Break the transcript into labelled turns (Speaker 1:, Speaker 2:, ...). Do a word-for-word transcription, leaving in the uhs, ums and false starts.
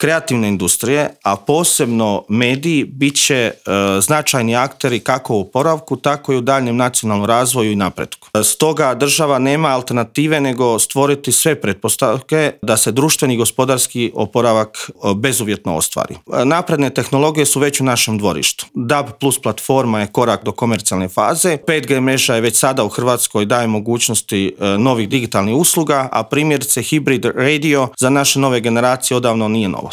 Speaker 1: kreativne industrije, a posebno mediji, bit će e, značajni akteri kako u oporavku, tako i u daljnjem nacionalnom razvoju i napretku. Stoga država nema alternative nego stvoriti sve pretpostavke da se društveni i gospodarski oporavak bezuvjetno ostvari. Napredne tehnologije su već u našem dvorištu. D A B plus platforma je korak do komercijalne faze, pet G mreža je već sada u Hrvatskoj daje mogućnosti novih digitalnih usluga, a primjerice hibrid radio za naše nove generacije odavno nije novo.